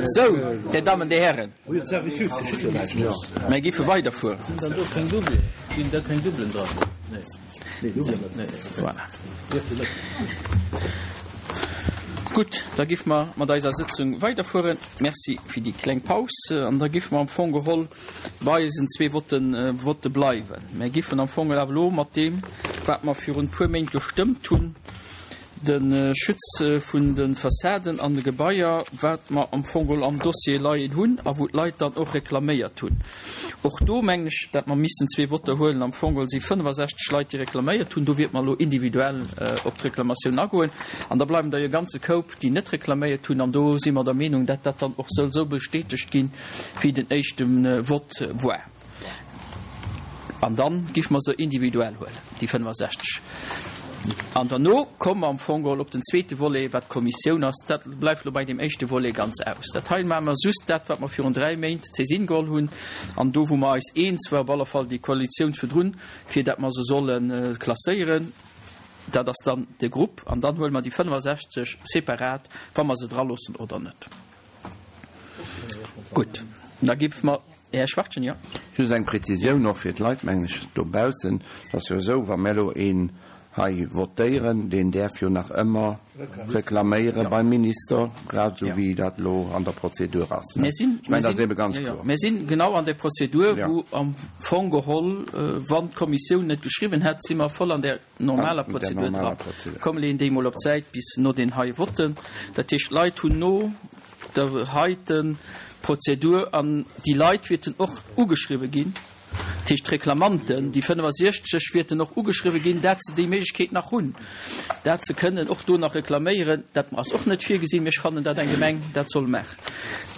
Sou, Dir Dammen, Dir Hären, mir géife weiderfueren. Voilà. Gutt, da géife mer mat eiser Sëtzung weiderfueren. Merci fir déi kleng Paus. An da géife mer am Fong geholl bei eisen zwee Votten, Votte bleiwen. Mir géifen am Fong awer elo mat deem, wat mer virun e puer Méint gestëmmt hunn, de Schutz vun de Fassaden an de Gebaier, wat mer am Fong geholl am Dossier leien hunn a wou d'Leit dann och reklaméiert hunn. Och do mengen ech, dat mer missten zwee Votter huelen. Am Fong geholl si 65 Leit, déi reklaméiert hunn. Do wiert mer elo individuell op d'Reklamatioun agoen. An da bleiwen der jo e ganze Koup, déi net reklaméiert hunn. An do si mer der Meenung, dat dat dann och soll esou bestätegt ginn, wéi den éischte Vott war. An dann giff mer se individuell huelen, déi 65. An derno komme mer am Fong geholl op den zweete Volet, wat d'Kommissioun ass. Dat bleift elo bei deem éischte Volet ganz aus. Dat hei maache mer just dat, wat mer virun dräi Méint d'Saisine geholl hunn an do, wou mer eis eens war, op alle Fall déi Koalitioun virdrun, fir dat mer se solle klasséieren. Dat ass dann de Grupp. An dann huele mer déi 65 separat, wa mer se draloossen oder net. Gutt, da gi mer. Här Schwachtgen, jo. Just eng Präzisioun och fir d'Leit, mengen ech, dobaussen. Et ass jo esou, wa mir elo een hei votéieren, deen däerf jo nach ëmmer reklaméiere beim Minister, grad esou wéi dat elo an der Prozedur ass. Mir sinn, Ech mengen, dat ass ebe ganz kloer. Mir sinn genau an där Prozedur, wou am Fong geholl, wann d'Kommissioun net geschriwwen hätt, si mer voll an där normaler Prozedur dran. Komm, leeën déi emol op d'Säit bis no den hei Votten. Dat heescht, d'Leit hunn no der heite Prozedur, an déi Leit wierten och ugeschriwwe ginn, dat heescht d'Reklamanten, déi 65 wierten och ugeschriwwe ginn, dat se déi Méiglechkeet nach hunn, dat se kënnen och do nach reklaméieren. Dat ass och net virgesinn, mee ech fannen, dat eng Gemeng dat soll maachen.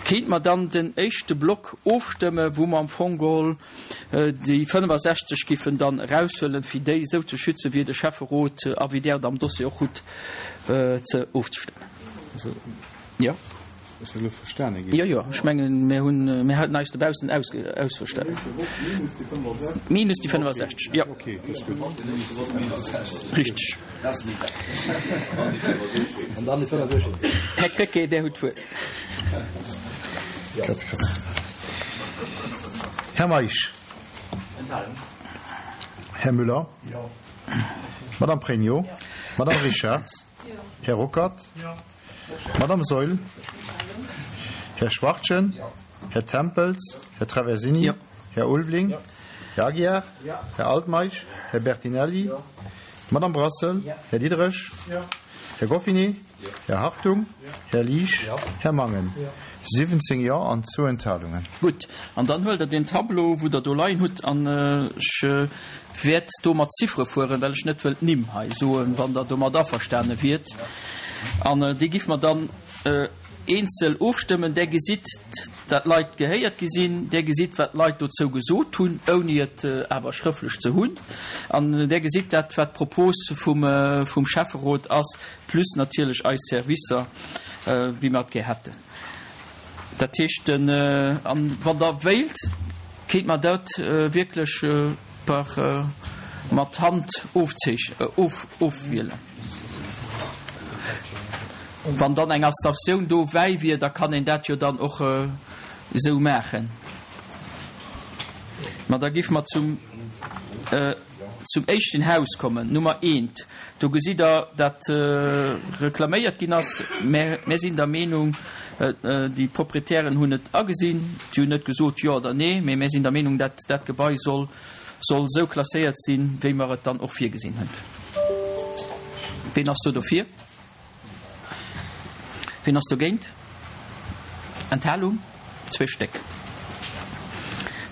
Kéint mer dann den éischte Block ofstëmme, wou mer am Fong geholl déi 65 giffen dann eraushuelen, fir déi esou ze schützen, wéi de Schäfferot a wéi Der et am Dossier och hutt, ze ofzestëmmen. Jo. Ass dat elo verstane ginn? Jo, jo, ech mengen, mir hunn, mir haten eis dobaussen ausverstanen. Minus déi 65, jo. Okay, dat ass gutt. Richteg. Här Krecké, Där hutt d'Wuert. Här Meisch. Här Müller. Madame Pregno. Madame Richarz. Här Ruckert. Madame Saeul. Här Schwachtgen. Här Tempels. Här Traversini. Här Ulveling. Här Aguiar. Här Altmeisch. Här Bertinelli. Madame Brassel. Här Diderich. Här Goffinet. Här Hartung. Här Liesch. Här Mangen. 17 Jo an zwou Enthalungen. Gutt, an dann huelt Der deen Tableau, wou Der do leien hutt, an ech wäert do mat Ziffere fueren, well ech net wëll d'Nimm hei soen, wann Der domat averstane wiert. An déi giffe mer dann eenzel ofstëmmen. Där gesitt, dat d'Leit gehéiert gi sinn. Där gesitt, wat d'Leit dozou gesot hunn, ouni et awer schrëftlech ze hunn. An där gesitt dat, wat d'Propos vum Schäfferot ass, plus natierlech eis Servicer, wéi mer et gär hätten. Dat heescht, den, an wann Der wéilt, kéint mer dat wierklech per mat Hand ofzeech, of, ofwielen. Wann dann eng Abstention dobäi wier, da kann een dat jo dann och esou maachen. Ma da géife mer zum. Zum éischten Haus kommen, Nummer eent. Do gesitt Der, dat reklaméiert ginn ass. Mä mir sinn der Meenung, déi Proprietären hunn et agesinn, déi hunn net gesot jo oder nee, mä mir sinn der Meenung, dat dat Gebai soll soll esou klasséiert sinn, wéi mer et dann och virgesinn hunn. Ween ass do dofir? Ween ass dogéint? Enthalung? Zwee Stéck.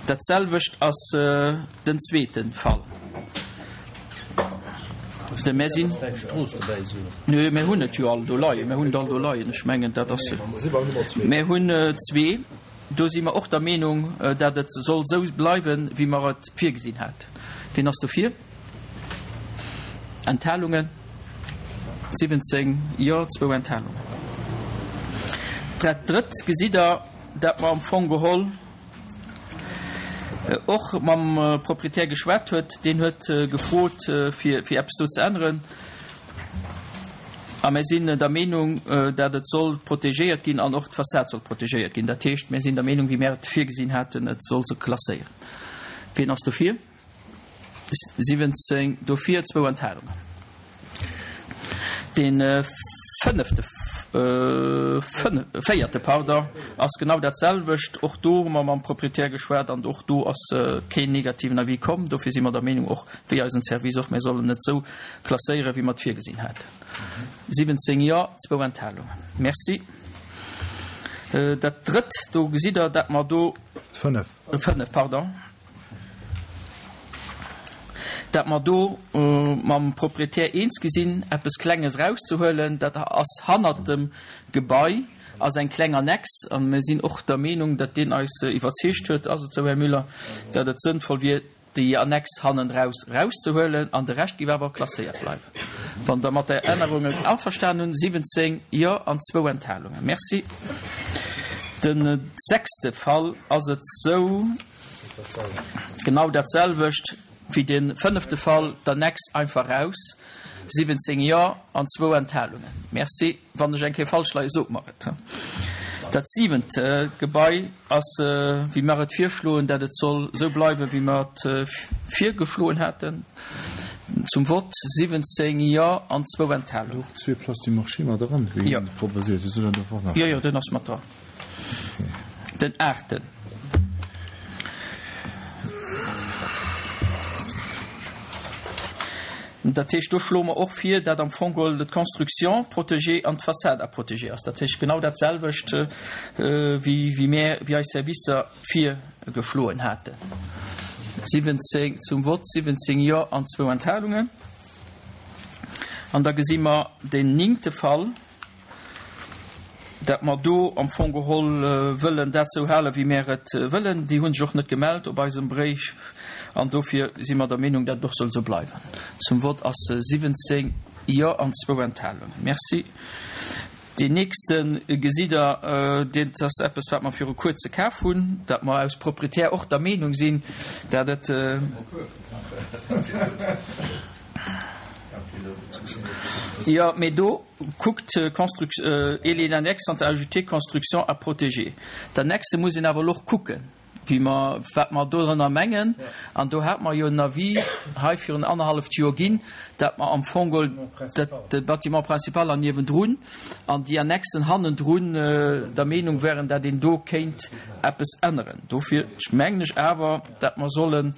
Dat selwecht ass den zweete Fall. De mir sinn. Nö, mir hunn et jo all do leien. Mir hunn et all do leien. Ech mengen, dat ass. Mir hunn zwee. Do si mer och der Meenung, dat et soll esou bleiwen, wéi mer et virgesinn hat. Ween ass dofir? Enthalungen, 17 Jo, zwou Enthalungen. Dat Drëtt gesitt Der, dat mer am Fong geholl och mam Proprietär geschwat huet. Deen huet gefrot, fir, fir eppes do ze änneren. A mir sinn der Meenung, dat et soll protegéiert ginn an och d'Fassad soll protegéiert ginn. Dat heescht, mir sinn der Meenung, wéi mir et virgesinn haten, et soll se klasséieren. Wien ass dofir? 17 dofir, zwou Enthalungen. Dee fënnefte, véierte, pardon, ass genau dat selwecht. Och do hu mer mam Proprietär geschwat an och do ass keen negativen Avis komm. Dofir si mer der Meenung, och wéi eisen Service och, mir sollen et esou klasséieren, wéi mer et virgesinn haten. 17 Jo, zwou Enthalungen. Merci. Dat drëtt, do gesitt Der, dat mer do. Fënnef. Fënnef, pardon. Dat mer do mam Proprietär eens gi sinn, eppes Klenges erauszehuelen. Dat ass hannert dem Gebai, ass eng kleng Annex. A mir sinn och der Meenung, datt deen eis iwwerzeegt huet, ass et esou, Här Müller, datt et sënnvoll wier, déi Annex hannendraus erauszehuelen an de Rescht géif awer klasséiert bleiwen. Wann Der mat der Ännerung averstanen hunn, 17 Jo an zwou Enthalungen. Merci. De sechste Fall ass et esou, genau dat selwecht wéi de fënnefte Fall, d'Annex einfach raus, 17 Jo an zwou Enthalungen. Merci. Wann ech eng Kéier falsch leien, sot mer et. Dat siwent Gebai ass, wéi mer et virschloen, dat et soll esou bleiwen, wéi mer et virgeschloen haten. Zum Vott, 17 Jo an zwou Enthalungen. Och zwee Places du Marché mat eran, wéi proposéiert. Jo, jo, den ass mat dran. Den aachten. Dat heescht, do schloe mer och vir, dat am Fong geholl d'Construction protégée an d'Fassade à protéger ass. Dat heescht genau dat selwecht, wéi, wéi mär, wéi eis Servicer virgeschloen haten. 17 zum Vott, 17 Jo an zwou Enthalungen. An da gesi mer den néngte Fall. Dat mer do am Fong geholl wëllen dat esou halen, wéi mär et wëllen. Déi hu sech och net gemellt op eisem Bréif an dofir si mer der Meenung, dat et och soll esou bleiwen. Zum Vott ass 17 Jo an zwou Enthalungen. Merci. Deen nächste gesitt Der, dat ass eppes, wat mer viru Kuerze kaf hunn, dat mer aus Proprietär och der Meenung sinn, dat et. Jo, mee do. Kuckt, et les annexes sont ajoutées, construction à protéger. D'Annexe muss een awer elo och kucken, wéi mer, wat mer dorënner mengen. An do hate mer jo en Avis hei virun annerhalleft Joer ginn, dat mer am Fong geholl dat de Bâtiment principal an niewendrun an déi Annexen hannendrun der Meenung waren, dat een do kéint eppes änneren. Dofir mengen ech awer, dat mer sollen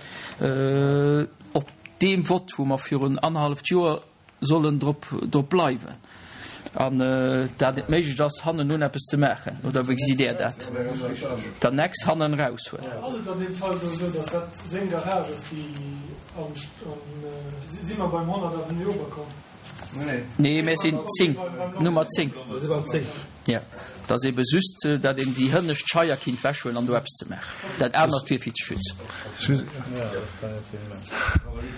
op deem Vott, wou mer virun annerhalleft Joer sollen drop drop bleiwen an dat et méiglech ass hannenun eppes ze maachen, oder wéi gesitt Där dat? D'Annex hannen eraushuelen. Ass et an deem Fall do esou, datt dat seng Garage ass, déi am, si mer beim 100 Avenue Oberkorn? Nee, mir sinn 10, Nummer 10. Jo, et ass ebe just, datt een déi hënnescht Scheier kinnt wechhuelen an do eppes ze maachen. Dat anert wier fir ze schützen.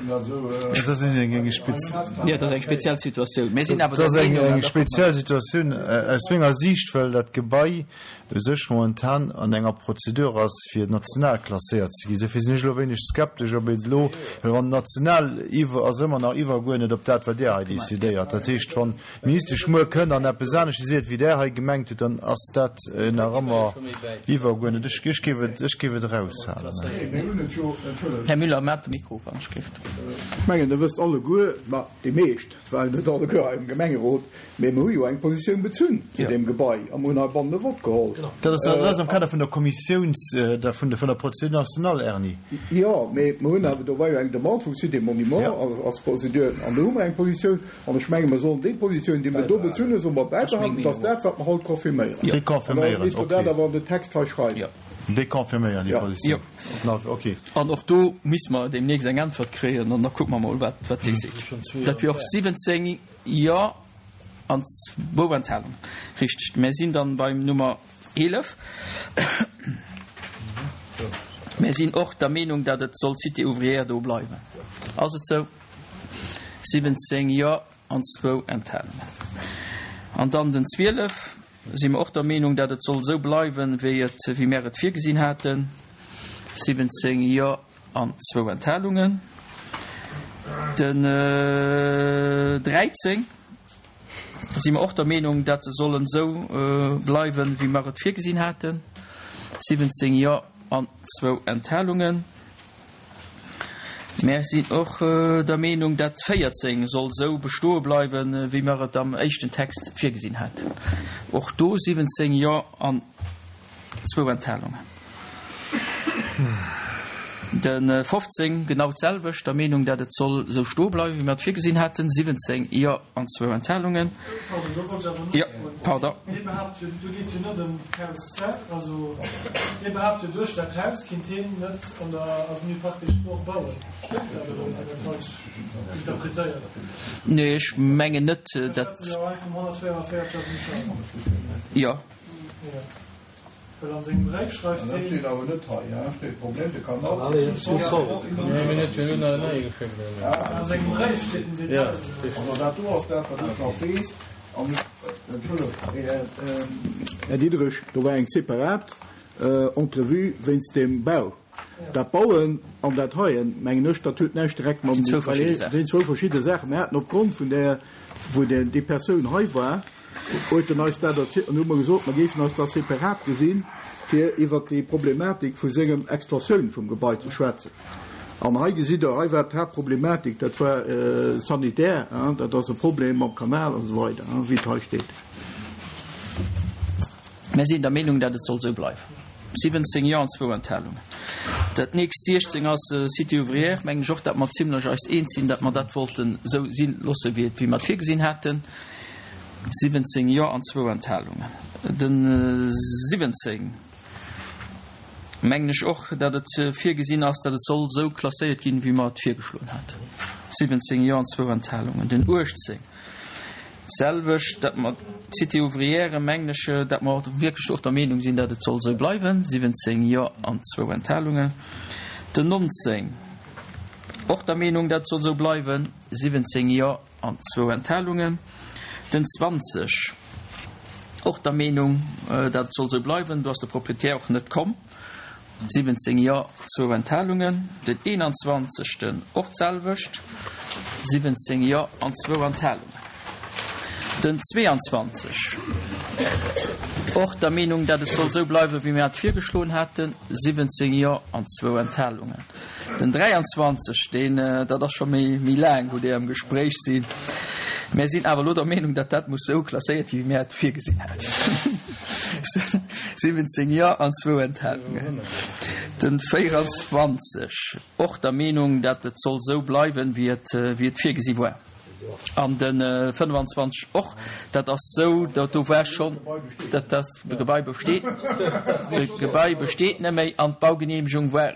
Dat ass eng Jo, dat ass eng speziell Situatioun. Mir sinn awer der Meenung, an eng speziell Situatioun aus menger Siicht, well dat Gebai u sech momentan an enger Prozedur ass, fir national klasséiert ze ginn. Dofir sinn ech elo e wéineg skeptesch, ob et elo, well wann national iwwer, ass ëmmer nach iwwerguerdnet op dat, wat Dir hei decidéiert. Dat heescht, wann d'Ministesch muer kënnt an eppes anescht seet, wéi Der hei gemengt hutt, dann ass dat nach ëmmer iwwerguerdnet. Ech, ech géif et, ech géif et eraushalen. Här Müller, maacht de Mikro, wann ech géif. Ech mengen, Der wësst alleguer, ma déi meescht, et waren net alleguer hei am Gemengerot, mee mer hu jo eng Positioun bezunn zu deem Gebai a mer hunn heibannen e Vott geholl. Dat ass, dat ass am Kader vun der Kommissiouns, der, vun der, vun der Procédure nationale, Erni. Jo, mee mer hunn awer, do war jo eng Demande vum Site des Monuments als Procédure an do hu mer eng Positioun an ech menge mer sollen déi Positioun, déi mer do bezunn hunn, solle mer bäibehalen. Dat ass dat, wat mer haut confirméieren. Déi confirméieren, ok. An da misst mer dat awer an den Text hei schreiwen. Déi confirméieren déi Positioun. Ok. An och do misste mer deemnächst eng Äntwert kréien an da kucke mer mol, wat, wat déi seet. Dat wier och 17 Jo an zwou Enthalungen. Richteg. Mär sinn dann beim Nummer 11. Mär sinn och der Meenung, datt et soll Cité ouvrière do bleiwen. Ass et sou? 17 Jo an zwou Enthalungen. An dann den 12. Si mer och der Meenung, dat et soll esou bleiwen, wéi et, wéi mär et virgesinn haten, 17 Jo an zwou Enthalungen. Den 13. Si mer och der Meenung, dat se sollen esou bleiwen, wéi mer et virgesinn haten. 17 Jo an zwou Enthalungen. Mär sinn och der Meenung, dat 14 soll esou bestoe bleiwen, wéi mer et am éischten Text virgesinn haten. Och do 17 Jo an zwou Enthalungen. De 15 genau d'selwecht, der Meenung, dat et soll esou stoe bleiwen, wéi mer et virgesinn haten, 17 Jo an zwou Enthalungen. Pardon, do wollt ech awer Jo, nofroen. pardon. Hie behaapt jo, do geet jo net ëm d'Haus sel, also hie behaapt jo, duerch dat Haus kinnt hien net an der Avenue Parc des Sports bauen. Stëmmt dat oder hunn ech dat falsch interpretéiert? Nee, ech mengen net, Ech dat. schwätze jo hei vum 144 Avenue Charles. Jo. Jo. Well an sengem Bréif schreift An dat heen. steet awer net hei, hein? Steet Problem de Kanal. An sengem Bréif steet den Detail. Also dat do ass dat, wat ech nach weess. An ech, Entschëllegt, Här Diderich, do war eng separat Entrevue wéinst deem Bau. Dat Bauen an dat heien, mengen ech, dat huet näischt direkt mam, well et sinn zwou verschidde Saachen. Mir haten opgrond vun där, wou déi Persoun hei war, huet en eis dat erzielt an hu mer gesot, mer géifen eis da separat gesinn, fir iwwert déi Problematik vu sengem Extensioun vum Gebai ze schwätzen. An hei gesitt Der, hei war d'Haaptproblematik, dat war sanitär, dat ass e Problem mam Kanal an esou weider, wéi et hei steet. Mir sinn der Meenung, dat et soll esou bleiwen. 17 Jo an zwou Enthalungen. Dat nächst 16 ass Cité ouvrière. Mengen ech och, dat mer zimlech eis eens sinn, dat mer dat wollten esou si loosse wéi et, wéi mer et virgesinn haten. 17 Jo an zwou Enthalungen. De 17 mengen ech och, dat et virgesinn ass, dat et soll esou klasséiert ginn, wéi mer et virgeschloen haten. 17 Jo an zwou Enthalungen. Den 18 d'selwecht, dat mer d'Cité ouvrière, mengen ech, dat mer wierklech och der Meenung sinn, dat et soll esou bleiwen. 17 Jo an zwou Enthalungen. Den 19 och der Meenung, dat et soll esou bleiwen. 17 Jo An zwou Enthalungen. Den 20, och der Meenung, dat et soll esou bleiwen. Do ass de Proprietär och net komm. 17 Jo, zwou Enthalungen. Den 21. Och d'selwecht, 17 Jo an zwou Enthalungen. Den 22, och der Meenung, dat et soll esou bleiwen, wéi mir et virgeschloen haten, 17 Jo an zwou Enthalungen. Den 23, deen, dat ass scho méi, méi laang, wou déi am Gespréich sinn. Mär sinn awer elo der Meenung, datt dat muss esou klasséiert ginn, wéi mär et virgesinn haten. 17 Jo an zwou Enthalungen. Den 24, och der Meenung, datt et soll esou bleiwen, wéi et, wéi et virgesi war. An de 25 och. Dat ass esou, dat do war schonn, dat ass, de Gebai besteet, de Gebai besteet net méi an d'Baugeneemegung war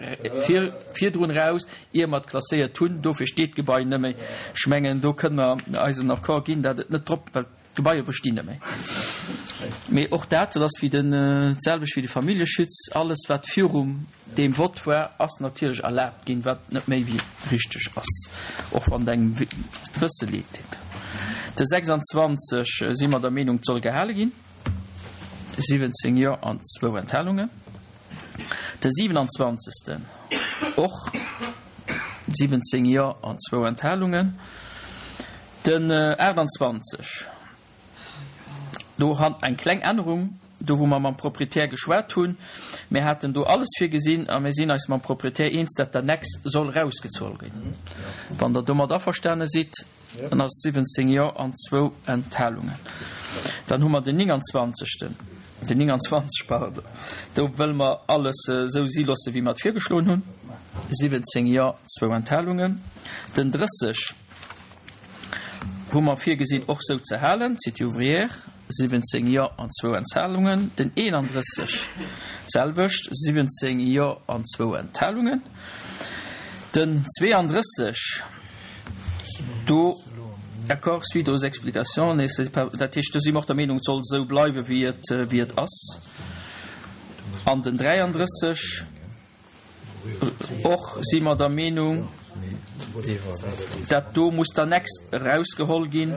vir, virdrun eraus, ier mer et klasséiert hunn. Dofir steet d'Gebai net méi. Ech mengen, do kënne mer eisen Accord ginn, dat et net drop, well d'Gebaier bestinn net méi. Mee och dat, dat ass wéi den, d'selwecht wéi de Familljeschutz, alles wat virum Deem Vott war, ass natierlech erlaabt ginn, wat net méi wéi richteg ass, och wann et engem e bësse leed deet. De 26 si mer der Meenung, et soll gehale ginn, 17 Jo an zwou Enthalungen. De 27. Och 17 Jo an zwou Enthalungen. Den 28. Do han eng kleng Ännerung, do wou mer mam Proprietär geschwat hunn. Mir haten do alles virgesinn a mir sinn eis mam Proprietär eens, dat d'Annex soll erausgezoll ginn. Wann Der domat averstane sidd, dann ass et 17 Jo an zwou Enthalungen. Dann hu mer den 29. Den 29, pardon. Do wëlle mer alles esou si loosse wéi mer et virgeschloen hunn. 17 Jo, zwou Enthalungen. Den 30. Hu mer virgesinn och sou ze halen, Cité ouvrière, 17 Jo an zwou Enthalungen, den 31 d'selwecht, 17 Jo an zwou Enthalungen, den 32 do Accord suite aux explications nécessaires, dat heescht do si mer och der Meenung, et soll esou bleiwe wéi et, wéi et ass, an den 33. Och si mer der Meenung, dat do muss d'Annex erausgeholl ginn.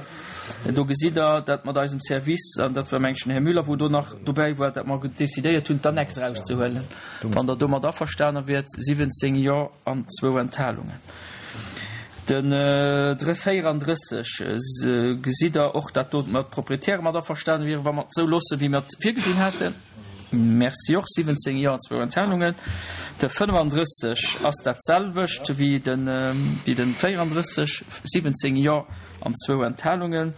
Do gesitt Der, dat mat eisem Service, an dat war meng ech den Här Müller, wou do nach dobäi war, dat mer decidéiert hunn, d'Annex erauszehuelen. Wann Der domat averstane wiert, 17 Jo an zwou Enthalungen. Den 34, gesitt Der och, dat do mat d'Proprietäre mat averstane wieren, wa mer et esou loosse wéi mer et virgesinn haten? Merci och. 17 Jo an zwou Enthalungen. De 35 ass dat selwecht wéi de wéi de 34, 17 Jo an zwou Enthalungen.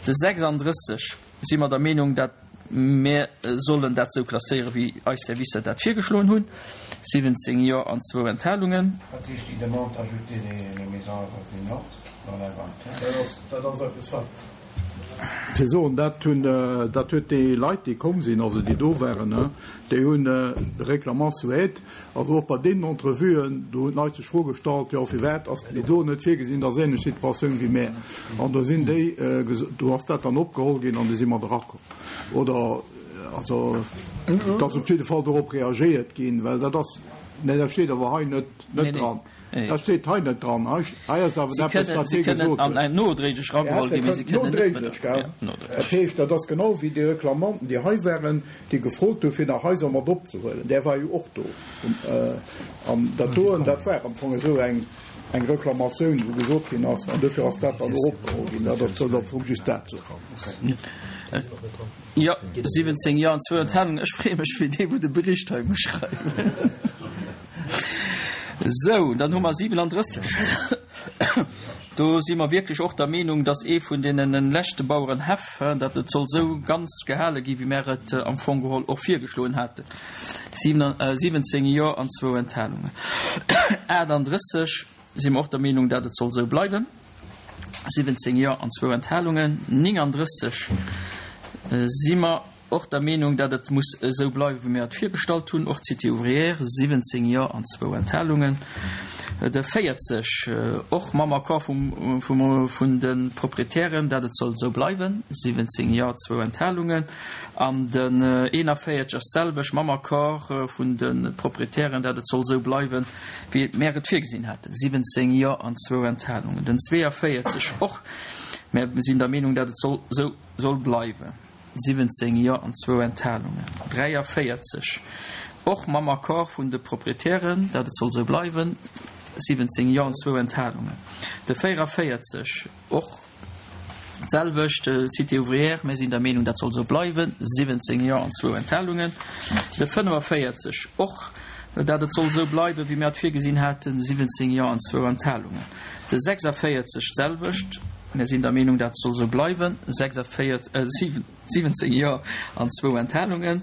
De 36 si mer der Meenung, dat Mir sollen dat esou klasséieren, wéi eis Servicer dat virgeschloen hunn, 17 Jo an zwou Enthalungen. Wat heescht déi Demande d'ajouter les maisons avoisinantes dans l'inventaire? Dat ass eppes, wat Ze soen, dat hunn, dat huet déi Leit, déi komm sinn, also déi do waren, déi hunn de Réclamant souhaite, also och bei deenen Entrevuen, do hunn d'Leit sech d'Fro gestallt, jo firwat ass déi do net virgesinn, dat ass ähnlech Situatioun wéi mär. An do sinn déi, do ass dat dann opgeholl ginn an du si mer erakomm. Oder, also et ass op jidde Fall dorop reagéiert ginn, well dat ass, nee dat steet awer hei net, net dran. Dat steet hei net dran. Hei ass awer eppes, wat hie gesot huet. Nodréiglech erageholl ginn, mee si kënnen net. Nodréiglech, gell? Dat heescht, dat ass genau wéi déi Reklamanten, déi hei waren, déi gefrot hu fir nach Haiser mat opzehuelen. Där war jo och do. An dat doen, dat war am Fong esou eng Reklamatioun, wou gesot ginn ass, an dofir ass dat dann och opgeholl ginn. Dat ass am Fong just dat. Jo, 17 Jo an zwou Enthalungen. Ech freeë mech fir dee, wou de Bericht hei muss schreiwen. Sou, dann hu mer 37. Do si mer wierklech och der Meenung, dass ee vun deene leschte Bauerenhäff, datt et soll esou ganz gehale gi wéi mär et am Fong geholl och virgeschloen haten. 17 Jo an zwou Enthalungen. 38 si mer och der Meenung, datt et soll esou bleiwen. 17 Jo an zwou Enthalungen. 39 si mer Och der Meenung, datt et muss esou bleiwen, wéi mir et virgestallt hunn, och d'Cité ouvrière, 17 Jo an zwou Enthalungen. De 40, och mam Accord vum, vum, vun de Proprietären, datt et soll esou bleiwen, 17 Jo, zwou Enthalungen. An den 41 ass d'selwecht, mam Accord vun de Proprietären, datt et soll esou bleiwen, wéi mär et virgesinn haten, 17 Jo an zwou Enthalungen. Den 42 och, mär sinn der Meenung, datt et soll esou soll bleiwen. 17 Jo an zwou Enthalungen. 43 och mam Accord vun de Proprietären, dat et soll esou bleiwen, 17 Jo an zwou Enthalungen. De 44 och d'selwecht, Cité ouvrière, mir sinn der Meenung, dat soll esou bleiwen, 17 Jo an zwou Enthalungen. De 45 och, dat et soll esou bleiwen, wéi mir et virgesinn haten, 17 Jo an zwou Enthalungen. De 46 d'selwecht, mir sinn der Meenung, dat soll esou bleiwen, 46, 17 Jo an zwou Enthalungen.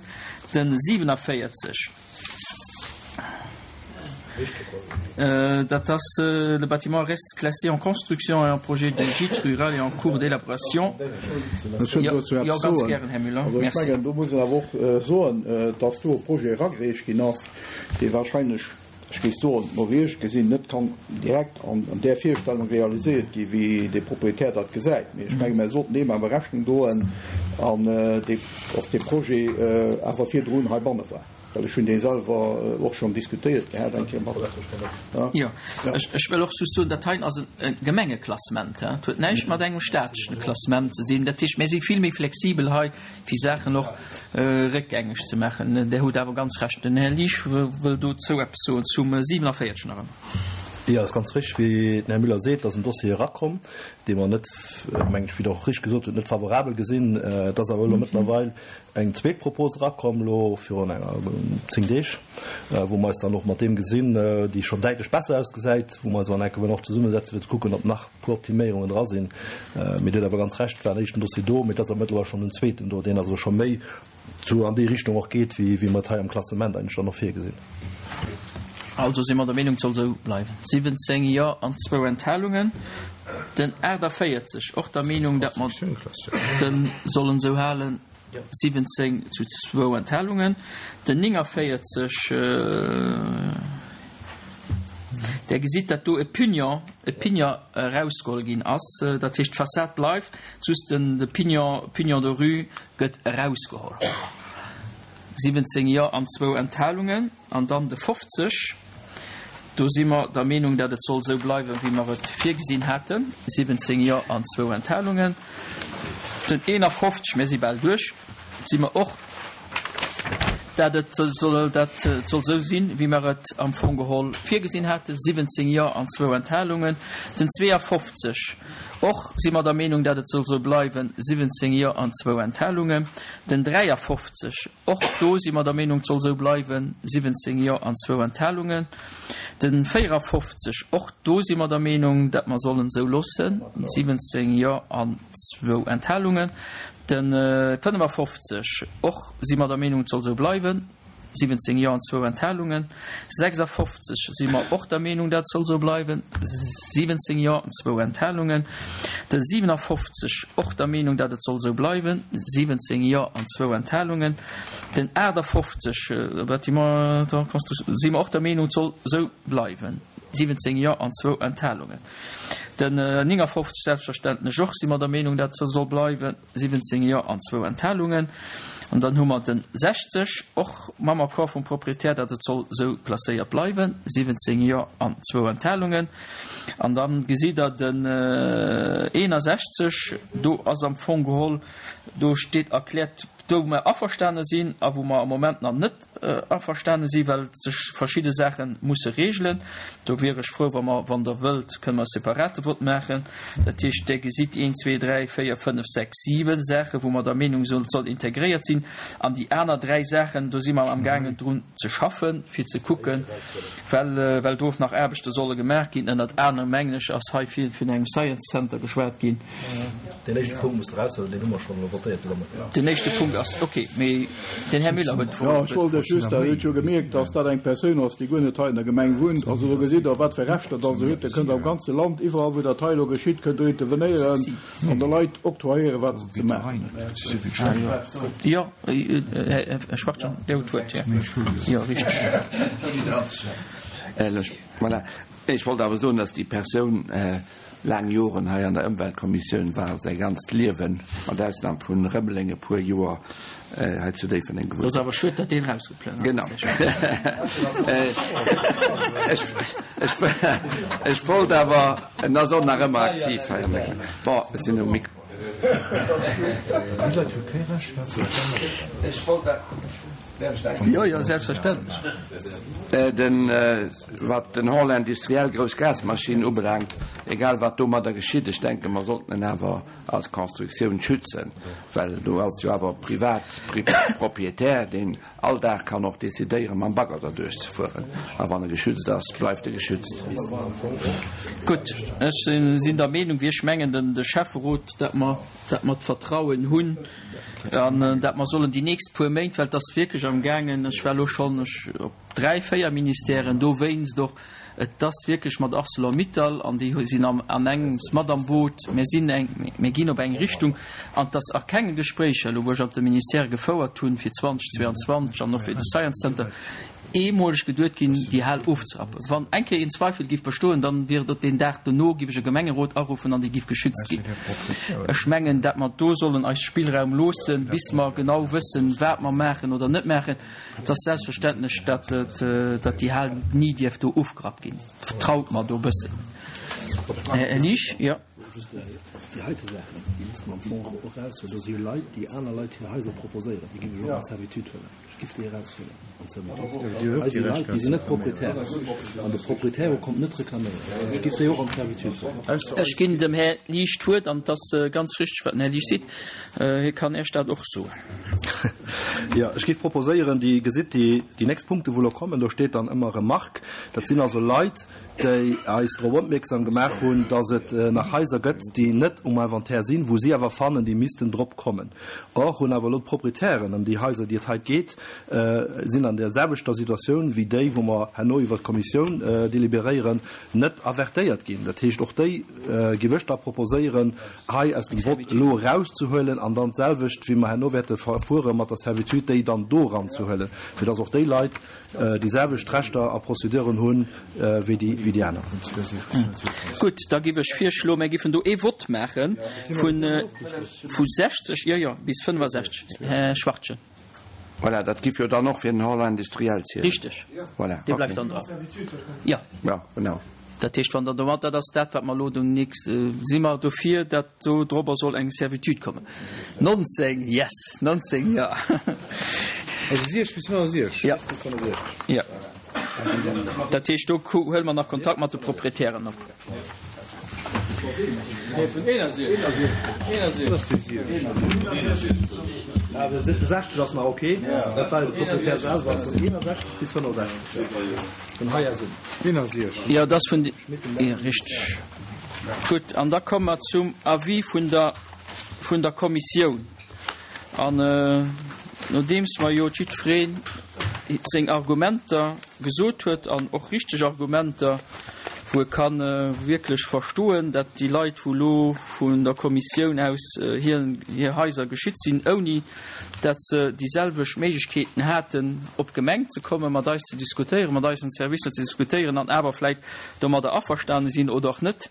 De 47, dat ass, Le bâtiment reste classé en construction et en projet de gîte rural est en cours d'élaboration. Ech wëll dozou Jo, eppes ganz soen. gären, Här Müller. Also ech Merci. mengen, do muss een awer och soen, dass do e Projet eragereecht ginn ass, dee wahrscheinlech, ech géif soen, no wéi ech gesinn, net kann direkt an där Virstellung realiséiert gi wéi de Proprietär dat gesäit. Mee ech menge mir sollten deem awer Rechnung droen, an dee, dass dee Projet awer virdrun heibanne war, well ech hunn dee selwer och schonn diskutéiert gehat eng Kéier mat. Jo, ech wëll och just soen, dat heien ass e Gemengeklassement, dat huet näischt mat engem staatlechen Klassement ze dinn. Dat heescht, mir si vill méi flexibel hei fir Saachen och réckgängeg ze maachen. Där hutt awer ganz Recht. Den Här Liesch wëll dozou eppes soen, zum 47 nach ëmmer. Jo, ass ganz richteg, wéi den Här Müller seet, dass en Dossier erakomm, dee mer net, mengen ech, wéi Der och richteg gesot hutt, net favorabel gesinn. Et ass awer elo mëttlerweil eng zweet Propos erakomm, elo virun enger zéng Deeg, wou mer eis dann och mat deem gesinn, déi schonn däitlech besser ausgesäit, wou mer eis awer nach eng Kéier wëllen och zesummesetzen, fir ze kucken, ob nach puer Optiméierungen dra sinn. Mee Dir hutt awer ganz Recht, et war en éischten Dossier do, mee et ass awer mëttlerweil schonn en zweeten do, deen also scho méi zu an déi Richtung och geet, wéi wéi mer et hei am Klassement eigentlech dann och virgesinn. Also si mer der Meenung, et soll esou bleiwen. 17 Jo an zwou Enthalungen. Den 48 och der Meenung, datt mer de sollen esou halen. 17 zu zwou Enthalungen. Den 49, Der gesitt, datt do e Pignon, e Pignon erausgeholl ginn ass. Dat heescht, d'Fassad bleift, just den, de Pignon, Pignon de rue gëtt erausgeholl. 17 Jo an zwou Enthalungen. An dann de 50, do si mer der Meenung, datt et soll esou bleiwen, wéi mer et virgesinn haten, 17 Jo an zwou Enthalungen. Den 51, mir si bal duerch, si mer och dat et soll, dat et soll esou sinn, wéi mer et am Fong geholl virgesinn haten, 17 Jo an zwou Enthalungen. Den 52, och si mer der Meenung, dat et soll esou bleiwen, 17 Jo an zwou Enthalungen. Den 53, och do si mer der Meenung, et soll esou bleiwen, 17 Jo an zwou Enthalungen. Den 54, och do si mer der Meenung, dat mer sollen esou loossen, 17 Jo an zwou Enthalungen. Den 55, och si mer der Meenung, et soll esou bleiwen, 17 Jo an zwou Enthalungen. 56 si mer och der Meenung, dat soll esou bleiwen, 17 Jo an zwou Enthalungen. Den 57, och der Meenung, dat et soll esou bleiwen, 17 Jo an zwou Enthalungen. Den 58, Bâtiment en construction, si mer och der Meenung, et soll esou bleiwen, 17 Jo an zwou Enthalungen. Den 59 selbstverständlech och, si mer der Meenung, dat soll bleiwen, 17 Jo an zwou Enthalungen. An dann hu mer den 60, och mam Accord vum Proprietär, datt et soll esou klasséiert bleiwen, 17 Jo an zwou Enthalungen. An da gesitt Der den 61, do ass am Fong geholl, do steet erkläert, do wou mer averstane sinn a wou mer am Moment nach net averstane si well sech verschidde Saache musse regelen. Do wier ech frou, wa mer, wann Der wëllt, kënne mer e separate Vott maachen. Dat heescht, Der gesitt een, zwee, dräi, véier, fënnef, sechs, siwe Saache wou mer der Meenung sinn, et soll integréiert sinn. An déi aner dräi Saachen, do si mer amgaangen drun ze schaffen, fir ze kucken, well, well do och nach Aarbechte solle gemaach ginn. Ënnert anerem, mengen ech, ass hei vill vun engem Science Center geschwat ginn. Deen éischte Punkt muss eraushuelen, deen hu mer schonn elo votéiert de Nomëtten. Den éischte Punkt ass ok, mee den Här Müller huet d'Wuert. Jo, ech wollt lech just, Der hutt jo gemierkt, dass dat eng Persoun ass, déi guer net hei an der Gemeng wunnt. Also do gesitt Der, wat fir Rechter dass se huet. Der kënnt am ganze Land, iwwerall wou dat hei elo geschitt, kënnt Der intervenéieren an de Leit octroyéieren, wat se ze maachen hunn. Jo, Här Schwachtgen, Dir hutt d'Wuert. Jo, richteg. Voilà. Ech wollt awer soen, dass déi Persoun laang Joren hei an der Ëmweltkommissioun war, säi ganzt Liewen, mat Ausnam vun Rëmeleng e puer Joer, hei zu Déifferdeng gewunnt. Et ass awer schued, datt deen erausgeplënnert ass. Genau. Ech wollt awer, en ass och nach ëmmer aktiv hei an der Gemeng. Bon, ech sinn um Mikro. Ech wollt awer. Jo, jo, selbstverständlech. Den, wat den Hall industriel, grouss Gasmaschinen ubelaangt, egal wat domadder geschitt, ech denken, mer sollten en awer als Constructioun schützen, well do ass jo awer privat, Propriétaire, deen all Dag kann och decidéieren, mam Bagger derduerch ze fueren. A wann e geschützt ass, bleift e geschützt. Gutt, ech sinn der Meenung, wéi ech mengen, den, de Schäfferot, dat mer, dat mer d'Vertrauen hunn an dat mer sollen déi nächst puer Méint, well et ass wierklech amgaangen, ech war elo schonn op dräi, véier Ministèren dowéinst och, et ass wierklech mat Arcelor-Mittal an déi sinn an engems mat am Boot, mir sinn eng, mir ginn op eng Richtung an et ass a kenge Gespréicher elo, wou ech an de Ministèrë gefouert hunn fir 2022 an och fir de Science Center, eemoleg geduet ginn, déi Hal ofzerappen. Wann eng Kéier een Zweifel giff bestoen, dann wier et op deen Dag dono, giff ech e Gemengerot aruffen an déi giff geschützt ginn. Ech mengen, dat mer do sollen eis Spillraum loossen, bis mer genau wëssen, wat mer maachen oder net maachen. Et ass selbstverständlech, dat et, dat déi Hal ni dierf do ofgerappt ginn. Vertraut mer do e bëssen. Här Liesch, jo. Déi heite Saachen, déi misste mer am Fong och eraushuelen. Do si jo Leit, déi aner Leit hir Haiser proposéieren, déi giff ech och an Servitude huelen. Ech giff déi eraushuelen an d'Servitude. Hei si Leit, déi sinn net Propriétaire an de Propriétaire kommt net reklaméieren. Ech giff déi och an d'Servitude huelen. Ech ginn dem Här Liesch d'Wuert an et ass ganz richteg, wat den Här Liesch seet. Hie kann Iech dat och soen. Jo, ech giff proposéieren, Dir gesitt déi nächst Punkte wou elo kommen, do steet dann ëmmer Remarque. Dat sinn also Leit, déi eis drop opmierksam gemaach hunn, dass et nach Haiser gëtt, déi net um Inventaire sinn, wou si awer fannen, déi missten drop kommen. Or hunn awer elo d'Proprietären ëm déi Haiser, déi et hei geet, sinn an der selwechter Situatioun wéi déi, wou mer herno iwwert d'Kommissioun deliberéieren, net avertéiert ginn. Dat heescht, och déi géif ech da proposéieren, hei aus dem Vott elo erauszehuelen an dann d'selwecht, wéi mer herno wäerte verfuere mat der Servitude, déi dann do eranzehuelen, fir dass och déi Leit, déi selwecht Rechter a Prozeduren hunn wéi déi aner. Gutt, da giff ech virschloen, mär giffen do ee Vott maache vu 60, jo, jo, bis 65. Här Schwachtgen. Voilà, dat giff jo dann och fir den Hall industriel zielen. Richteg. Voilà, Dee bleift dann dran. Jo. Jo, genau. Dat heescht, wann Der domat, dat ass dat, wat mer elo do nächst, si mer dofir, dat do drobber soll eng Servitude kommen. 19, yes, 19, jo. Also 60 bis 65? Ja. Ja. Dat heescht, do huele mer nach Kontakt mat de Proprietären op. Nee, vun 61. 61. 60 ass nach ok. Dat war de Proprietär selwer. Vun 61 bis 65. Vun hei aus un. 61. Jo, dat ass vun. Richteg. Gutt, an da komme mer zum Avis vun der, vun der Kommissioun. An nodeems mer jo jiddweree seng Argumenter gesot huet, an och richteg Argumenter, wou e ka wierklech verstoen, dat déi Leit, wou elo vun der Kommissioun aus hir hir Haiser geschützt sinn, ouni dat se déi selwecht Méiglechkeeten haten, op d'Gemeng ze kommen, mat eis ze diskutéieren, mat eisen Servicer ze diskutéieren an awer vläicht domadder averstane sinn oder och net,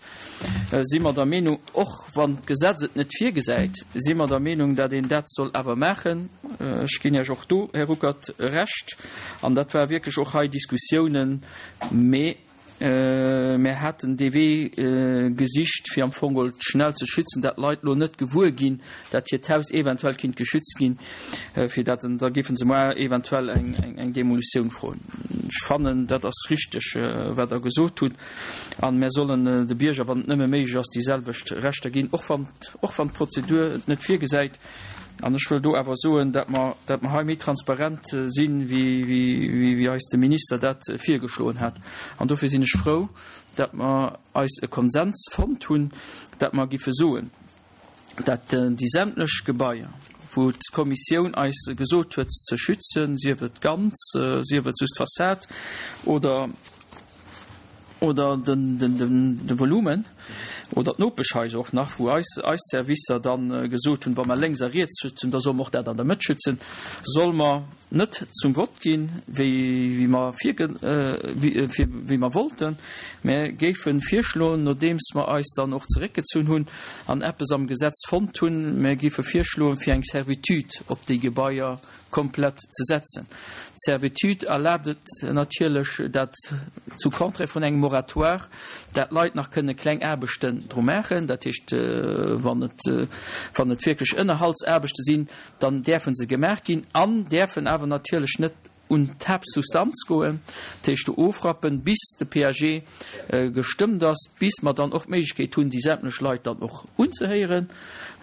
si mer der Meenung, och wann d'Gesetz et net virgesäit, si mer der Meenung, dat een dat soll awer maachen. Ech ginn Iech och do, Här Ruckert, Recht. An dat war wierklech och hei Diskussiounen, mee mär haten dee Wee gesicht, fir am Fong geholl schnell ze schützen, dat d'Leit elo net gewuer ginn, dat hiert Haus eventuell kinnt geschützt ginn, fir dat da géife se moar eventuell eng Demolitioun froen. Ech fannen, dat ass richteg, wat Der gesot hutt. An mär sollen de Bierger, wann et nëmme méiglech ass, déi selwecht Rechter ginn, och wann, och wann d'Prozedur et net virgesäit. An ech wëll do awer soen, dat mer, dat mer hei méi transparent sinn, wéi, wéi, wéi eis de Minister dat virgeschloen hat. An dofir sinn ech frou, dat mer eis e Konsens fonnt hunn, dat mer giffe soen, dat déi sämtlech Gebaier, wou d'Kommissioun eis gesot huet ze schützen, sief et ganz, sief et just d'Fassad oder, oder den, den, den, de Volumen oder d'Nopeschhaiser och nach, wou eis, eis Servicer da gesot hunn, wa mer lénks a riets schützen, da solle mer och dat an der Mëtt schützen, solle mer net zum Vott ginn, wéi, wéi mer virge, wéi, wéi mer wollten, mä géife virschloen, nodeems mer eis dann och zeréckgezunn hunn an eppes am Gesetz fonnt hunn, mer géife virschloen, fir eng Servitude op déi Gebaier komplett ze setzen. D'Servitude erlaabt et natierlech, dat zu Contraire vun engem Moratoire, dat d'Leit nach kënne kleng Aarbechten dru maachen. Dat heescht, wann et, wann et wierklech Ënnerhaltsaarbechte sinn, dann däerfe se gemaach ginn an däerfen awer natierlech net un d'Haaptsubstanz goen, dat heescht do ofrappen, bis de PAG gestëmmt ass, bis mer dann och d'Méiglechkeet hunn, déi sämtlech Leit dann och unzehéieren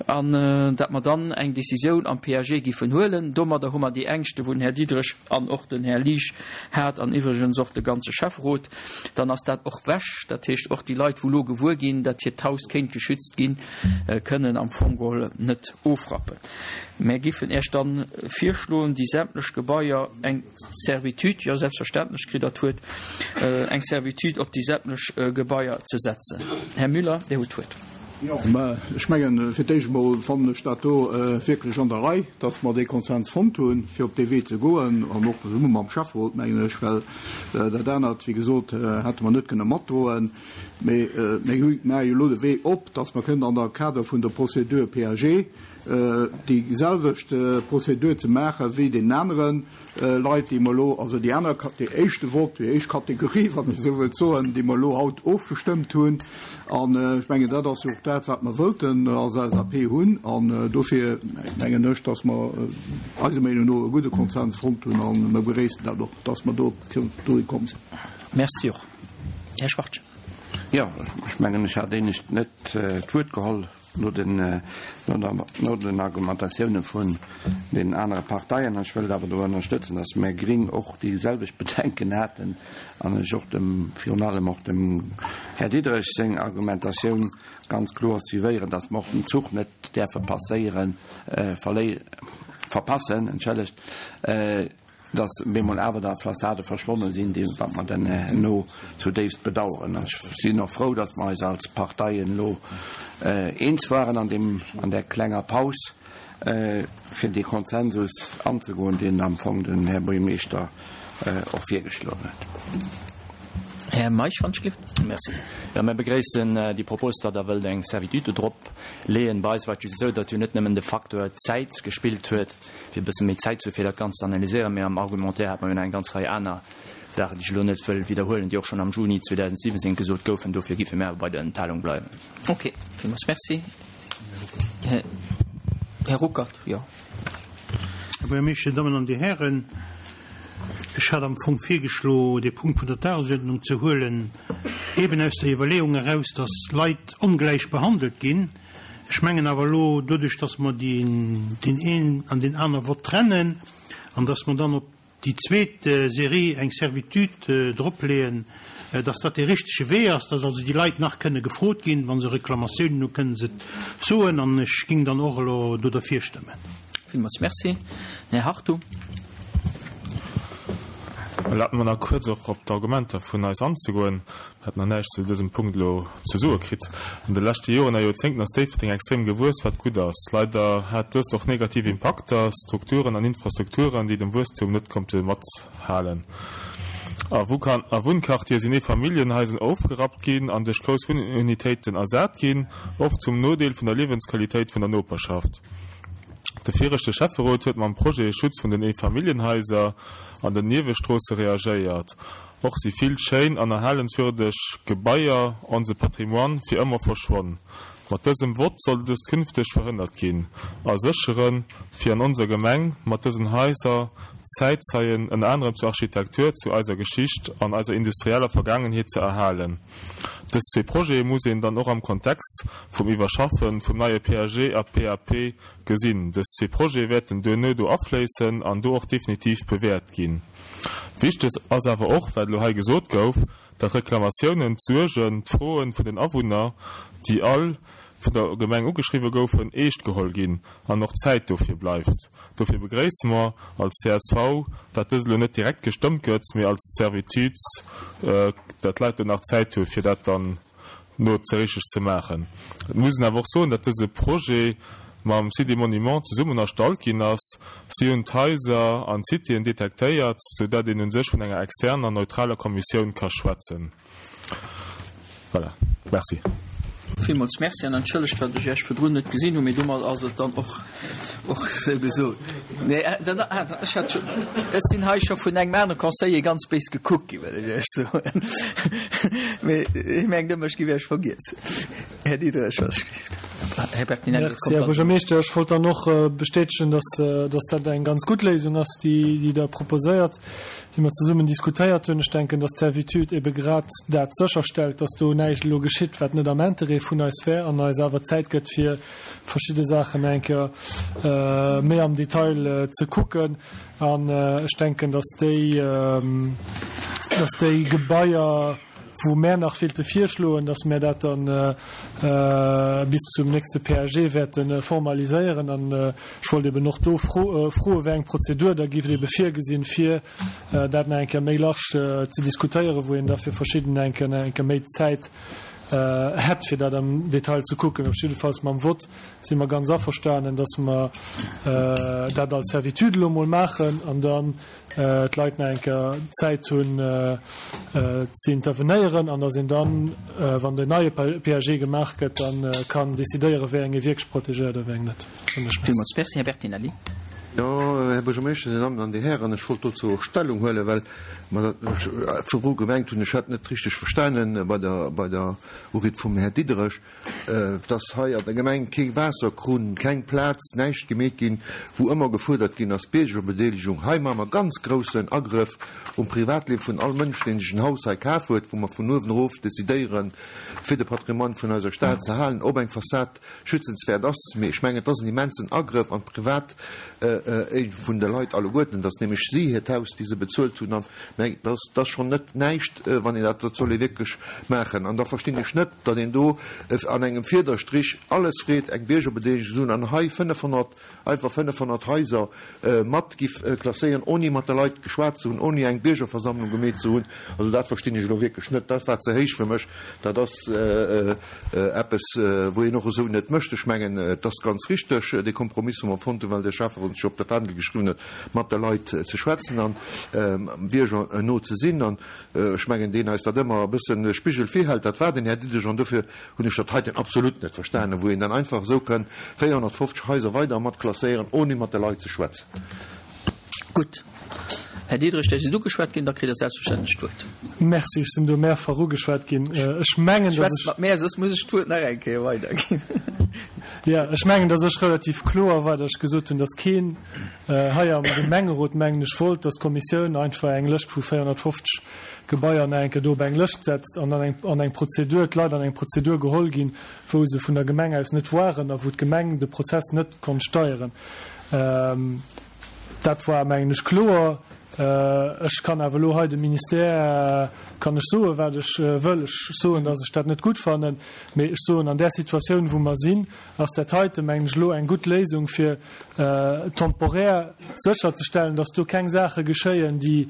an dat mer dann eng Décisioun am PAG giffen huelen. Domadder hu mer déi Ängschte wou den Här Diderich an och den Här Liesch hat an iwwregens och de ganze Schäfferot, dann ass dat och wech. Dat heescht och déi Leit wou elo gewuer ginn, dat hiert Haus kéint geschützt ginn, kënnen am Fong geholl net ofrappen. Mär giffen Äech dann virschloen, déi sämtlech Gebaier eng Servitude, jo selbstverständlech kritt Der d'Wuert, eng Servitude op déi sämtlech Gebaier ze setzen. Här Müller, Dir hutt d'Wuert. Jo, mä ech mengen, fir d'éischt emol fannen ech dat do wierklech an der Rei, dass mer dee Konsens fonnt hunn, fir op dee Wee ze goen, an och zesumme mam Schäfferot, mengen ech, well dat anert, wéi gesot, hätte mer net kënne matdroen. Mee mir maache jo elo de Wee op, dass mer kënnen an der Kader vun der Procédure PAG déi selwecht Prozedur ze maache wéi deenen anere Leit, déi mer elo, also déi aner, déi éischte Vott, déi éischt Kategorie, wann ech esou wëllt soen, déi mer elo haut ofgestëmmt hunn. An ech mengen, dat ass jo och dat, wat mer wëllten als LSAP hunn. An dofir mengen ech, dass mer eiser Meenung no e gudde Konsens fonnt hunn a mer begréissen dat och, dass mer do dohi komm sinn. Merci och. Här Schwartgen. Jo, ech mengen, ech hat éinescht net d'Wuert geholl. No den, no den Argumentatioune vun deenen anere Parteien, an ech wëllt awer do ënnerstëtzen, dass mär Gring och déi selwecht Bedenken haten an ech och dem, virun allem och dem Här Diderich seng Argumentatioun ganz kloer suivéieren, dass mer och den Zuch net däerfe passéieren, verléi, verpassen, entschëllegt. dass bemol awer da Fassade verschwonne sinn, déi wat mer dann herno zudéifst bedauern. An ech sinn och frou, dass mer eis als Parteien elo eens waren an deem, an där klenger Paus, fir dee Konsensus anzegoen, deen am Fong den Här Buergermeeschter och virgeschloen huet. Här Meisch, wann ech gelift. Merci. Jo, mir begréissen déi Propos, datt Der wëllt eng Servitude do drop leeën. Bei eis war et just esou, datt jo net nëmmen de Facteur Zäit gespillt huet, fir e bësse méi Zäit ze hu fir dat Ganzt ze analyséieren, mee am Argumentaire hat mer jo nach eng ganz Rei aner Saachen, déi ech elo net wëll widderhuelen, déi och schonn am Juni 2017 gesot goufen. Dofir géife mir awer bei der Enthalung bleiwen. Ok, villmools Merci. Här Ruckert, jo. Buergermeeschter, Dir Dammen an Dir Hären, ech hat am Fong virgeschlo, dee Punkt vun der Dagesuerdnung ze huelen, eben aus der Iwwerleeung eraus, dass Leit ongläich behandelt ginn. Ech mengen awer elo, doduerch dass mer deen een an deen aner Vott trennen an dass mer dann op déi zweet Serie eng Servitude dropleeën, dass dat dee richtege Wee ass, dass also déi Leit nach kënne gefrot ginn, wa se Reklamatiounen hunn, kënne se et soen an ech ging dann och elo do derfir stëmmen. Villmools Merci. Den Här Hartung. Erlaabt mer nach kuerz och op d'Argumenter vun eis anzegoen. Mir haten nach näischt zu dësem Punkt elo ze soe kritt. An de leschte Joren a Joerzéngten ass Déifferdeng extrem gewuess, wat gutt ass. Leider hat dëst och negativ Impakter, Strukturen an Infrastrukturen, déi dem Wuesstum net konnte mathalen. A Wunnquartiere sinn Eefamilljenhaisen ofgerappt ginn an duerch grouss Wunnunitéiten ersat ginn, oft zum Nodeel vun der Liewensqualitéit vun der Noperschaft. De viregte Schäfferot huet mam Projet Schutz vun den Eefamilljenhaiser an den Niewestroosse reagéiert. Och si vill schéin an erhalenswürdeg Gebaier, onse Patrimoine, fir ëmmer verschwonn. Mat dësem Vott soll dëst künfteg verhënnert ginn a sécheren, fir an onser Gemeng mat dësen Haiser Zäitzeien ënner anerem zur Architektur, zu eiser Geschicht an eiser industrieller Vergaangenheet ze erhalen. Dës zwee Projete muss een dann och am Kontext vum Iwwerschaffe vum neie PAG a PAP gesinn. Dës zwee Projete wäerten duerno do afléissen an do och definitiv bewäert ginn. Wichteg ass awer och, wat elo hei gesot gouf, datt d'Reklamatiounen, d'Suergen, d'Froen vun den Awunner, déi all vun der Gemeng ugeschriwwe goufen, eescht geholl ginn an och Zäit dofir bleift. Dofir begréisse mer als csv, datt dëst elo net direkt gestëmmt gëtt, mee als Servitude, datt d'Leit do nach Zäit hu fir dat dann no ze richteg ze maachen. Et muss een awer och soen, datt dëse Projet mam Site des Monuments zesummen erstallt ginn ass. Si hunn d'Haiser an d'Citéen detektéiert, sou dat een u sech vun enger externer, neutraler Kommissioun ka schwätzen. Voilà. Merci. Villmools Merci an entschëllegt, wat ech Iech virdrun net gesinn hunn, mee domat ass et dann och Och esou gesot. Nee, dann, ah, ech hat schon, ech sinn hei scho vun engem anere Conseiller ganz béis gekuckt ginn, well ech Iech soen. Mee hie mengt ëmmer, ech giff Iech vergiess. Här Diderich, was ech Här Bertinelli, et kommt Merci, Här Buergermeeschter. Ech wollt dann och bestätegen, dass, dass dat eng ganz gutt Léisung ass, déi, déi Der proposéiert, déi mer zesummen diskutéiert hunn. Ech denken, dass d'Servitude ebe grad dat sécherstellt, dass do näischt elo geschitt, wat net am Interêt vun eis wär an eis awer Zäit gëtt, fir verschidde Saachen eng Kéier méi am Detail ze kucken. An ech denken, dass déi, dass déi Gebaier, wou mär nach wéilte virschloen, dass mär dat dann bis zum nächste PAG wäerte formaliséieren. An ech wollt eben och do froen, wéi eng Prozedur da géif ebe virgesinn, fir dat nach eng Kéier méi large ze diskutéieren, wou een da fir verschidden eng Kéier nach eng Kéier méi Zäit hätt, fir dat am Detail ze kucken. Op jiddefalls mam Vott si mer ganz averstanen, dass mer dat als Servitude elo emol maachen an dann d'Leit nach eng Kéier Zäit hunn ze intervenéieren an dass een dann, wann den neie PAG gemaach gëtt, da kann decidéieren, wéi eng ee wierklech protegéiert a wéi eng net. Villmools Merci. Här Bertinelli. Jo, Här Buergermeeschter, Dir Dammen an Dir Hären, ech wollt dozou och Stellung huelen, well mer dat virdru gemengt hunn, ech hätt net richteg verstanen bei der, bei der Uried vum Här Diderich, dass hei an der Gemeng kee Waasserkrunn, keng Plaz, näischt gemeet ginn, wou ëmmer gefuerdert ginn ass, Biergerbedeelegung. Hei maache mer ganz groussen Agrëff um Privatliewe vun all Mënsch, deen sech en Haus hei kaf huet, wou mer vun uewen erof decidéieren, fir de Patrimoine vun eiser Stad ze halen, ob eng Fassad schützenswäert ass, mee ech mengen, et ass en immensen Agrëff an d'Privat Éigem vun de Leit alleguerten, dass nämlech si hiert Haus, déi se bezuelt hunn, an mä dat ass, dat ass schonn net näischt, wann een dat, dat soll ee wierklech maachen. An da verstinn ech net, datt een do an engem Fiederstrich alles freet, eng Biergerbedeelegung ze hunn, an hei 500, einfach 500 Haiser mat giff klasséieren, oni mat de Leit geschwat ze hunn, oni eng Biergerversammlung gemeet ze hunn. Also dat verstinn ech elo wierklech net. Dat war ze héich fir mech. Dat ass eppes, wou een och esou net mécht. Ech mengen, et ass ganz richteg, dee Kompromiss, wou mer fonnt hunn, well de Schäfferot sech op de Fändel geschriwwen huet, mat de Leit ze schwätzen an Bierger no ze sinn. An ech mengen, deen eis dat ëmmer e bëssen de Spigel virhält, dat war den Här Diderich. An dofir hunn ech dat heiten absolut net verstanen, wou een dann einfach esou kënn 450 Haiser weider mat klasséieren, ohne mat de Leit ze schwätzen. Gutt. Här Diderich, Dir sidd ugeschwat ginn, da kritt Der selbstverständlech d'Wuert. Merci, ech sinn do mehrfach ugeschwat ginn. Ech mengen, dass ech. Schwätzt mat mär, soss muss ech d'Wuert nach eng Kéier weiderginn. Jo, ech mengen, datt ech relativ kloer war, datt ech gesot hunn, datt keen hei am Gemengerot, mengen ech, wollt, datt d'Kommissioun einfach eng Lëscht vu 450 Gebaier nach eng Kéier do op eng Lëscht setzt an dann eng an eng Prozedur, d'Leit an eng Prozedur geholl ginn, wou se vun der Gemeng aus net waren a wou d'Gemeng de Prozess net konnt steieren. Dat war, mengen ech, kloer. Ech kann awer elo hei dem Ministère kann ech soen, wat ech wëll. Ech soen, datt ech dat net gutt fannen. Mee ech soen, an där Situatioun, wou mer sinn, ass dat heite, mengen ech, elo eng gutt Léisung, fir temporär sécherzestellen, datt do keng Saache geschéien, déi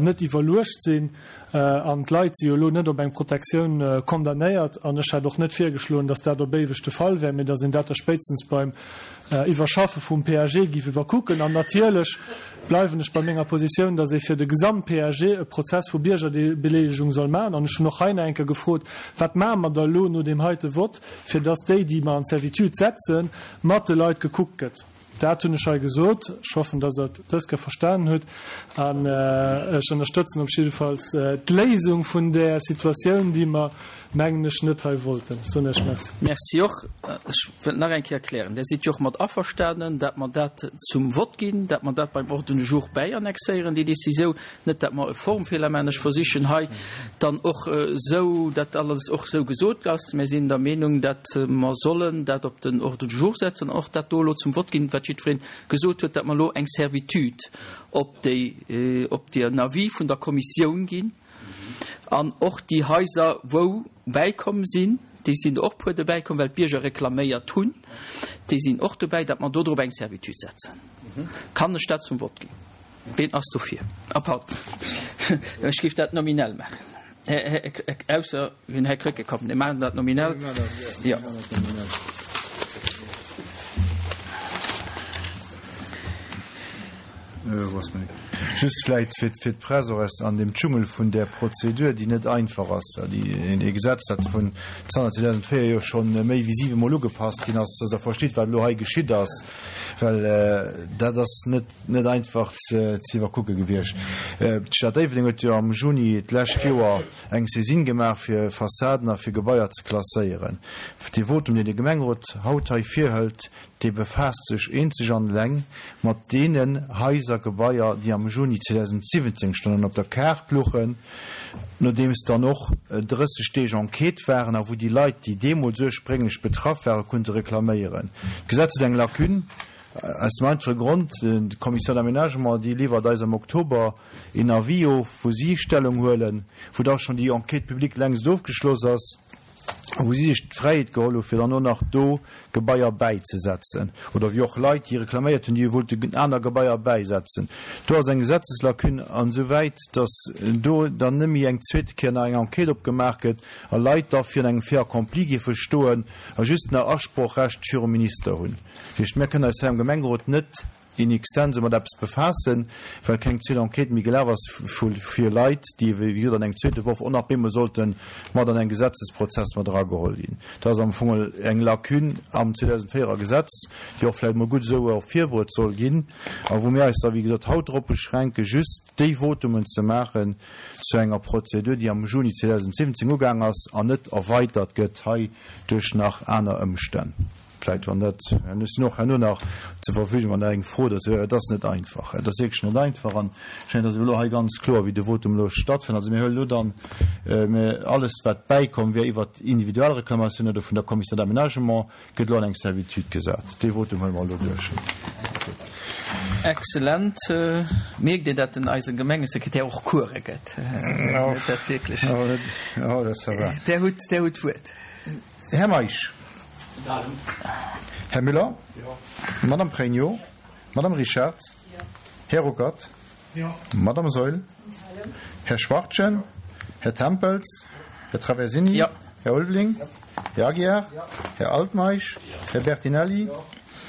net iwwerluecht sinn. An d'Leit si jo elo net op eng Protektioun condamnéiert. An ech hätt och net virgeschloen, datt dat op éiweg de Fall wär, mee datt een dat da spéitstens beim Iwwerschaffe vum PAG géif iwwerkucken. An natierlech bleiwen ech bei menger Positioun, datt ee fir de Gesamt-PAG e Prozess vu Biergerbeleelegung soll maachen. An ech hunn och hei nach eng Kéier gefrot, Wat maache mer da elo no deem heite Vott, fir datt déi, déi mer an d'Servitude setzen, mat de Leit gekuckt gëtt? Dat hunn ech hei gesot. Ech hoffen, datt Der et dës Kéier verstanen hutt. An ech ënnerstëtzen op jiddefalls d'Léisung vun där Situatioun, déi mer, mengen ech, net hei wollten. Ech soen Iech Merci. Merci och. Ech wëllt nach eng Kéier erklären, Där sidd jo och mat averstanen, dat mer dat zum Vott ginn, dat mer dat beim Ordre du jour bäiannexéieren, déi Décisioun. Net dat mer e Formfeeler maachen. Ech versichen hei dann och esou, dat alles och esou gesot ass. Mir sinn der Meenung, dat mer sollen dat op den Ordre du jour setzen an och dat do elo zum Vott ginn, wat jiddweree gesot huet, dat mer elo eng Servitude op déi, op den Avis vun der Kommissioun ginn an och déi Haiser, wou bäikomm sinn, déi sinn der och puer dobäikomm, well d'Bierger reklaméiert hunn, déi sinn och dobäi, dat mer do drop eng Servitude setzen. Kann ech dat zum Vott ginn? Ween ass dofir? Ah, pardon, ech géif dat nominell maachen. Ausser den Här Krecké, komm, mir maachen dat nominell. Jo. Just vläit fir d'Press och aus an deem Dschungel vun där Prozedur, déi net einfach ass, déi e Gesetz, dat vun zanter 2004 jo schonn méi wéi siwemol ugepasst ginn ass, dass Der verstitt, wat elo hei geschitt ass, well dat ass net, net einfach ze iwwerkucke gewiescht. D'Stad Déifferdeng huet jo am Juni d'lescht Joer eng Saisine gemaach, fir Fassaden a fir Gebaier ze klasséieren. Dee Votum, deen de Gemengerot haut hei virhëlt, dee befaasst sech eenzeg an eleng mat deenen Haiser, Gebaier, déi am Juni 2017 schonn an op der Kaart luchen, nodeems dann och 30 Deeg Enquête waren a wou déi Leit, déi deemools ursprénglech betraff waren, konnte reklaméieren. D'Gesetz huet eng Lacune. Aus dem einfache Grond, d'Commission d'aménagement, déi liwwert eis am Oktober een Avis of, wou si Stellung huelen, wou da schonn déi Enquête publique längst ofgeschloss ass a wou si sech d'Fräiheet geholl hu fir dann och nach do Gebaier bäizesetzen oder wéi och Leit, déi reklaméiert hunn, déi wollten aner Gebaier bäisetzen. Do ass eng Gesetzeslacune ansouwäit, datt do dann net méi eng zweete Kéier nach eng Enquête opgemaach gëtt a Leit da virun engem Fait accompli géife stoen a just nach Asprochrecht virum Minister hunn. Dat heescht, mir kënnen eis hei am Gemengerot net in extenso mat eppes befaassen, well keng zweet Enquête méi gelaf ass fir Leit, déi wéi gesot an engem zweete Worf och nach bemol sollte mat an engem Gesetzesprozess mat erageholl ginn. Dat ass am Fong eng Lacune am 2004 er Gesetz, déi och vläicht emol gutt esou ervirbruet soll ginn a wou mir eis da wéi gesot haut drop beschränken, just déi Votumen ze maachen zu enger Prozedur, déi am Juni 2017 ugaang ass an net erweitert gëtt hei duerch nach aner Ëmstänn. Vläit wann dat, ech sinn och herno nach zur Verfügung, wann Der eng Fro dozou hutt. Et ass net einfach, et ass wierklech net einfach. An ech mengen, et ass elo hei ganz kloer, wéi de Votum elo stattfënnt. Also mir huelen elo dann alles, wat bäikomm wär iwwert individuell Reklamatioun oder vun der Commission d'aménagement, gëtt elo an eng Servitude gesat. Dee Votum huele mer elo duerch. Excellent. Mierkt Dir, dat den eise Gemengesekretär och Coure gëtt? Dat wierklech. Där hutt, Där hutt d'Wuert. Här Meisch. Här Müller. Madame Pregno. Madame Richard. Här Ruckert. Madame Saeul. Här Schwachtgen. Här Tempels. Här Traversini. Här Ulveling. Här Aguiar. Här Altmeisch. Här Bertinelli.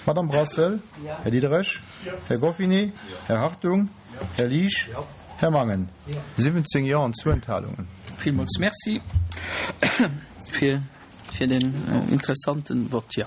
Madame Brassel. Här Diderich. Här Goffinet. Här Hartung. Här Liesch. Här Mangen. 17 Jo an zwou Enthalungen. Villmools Merci fir den interessanten Vott. Jo.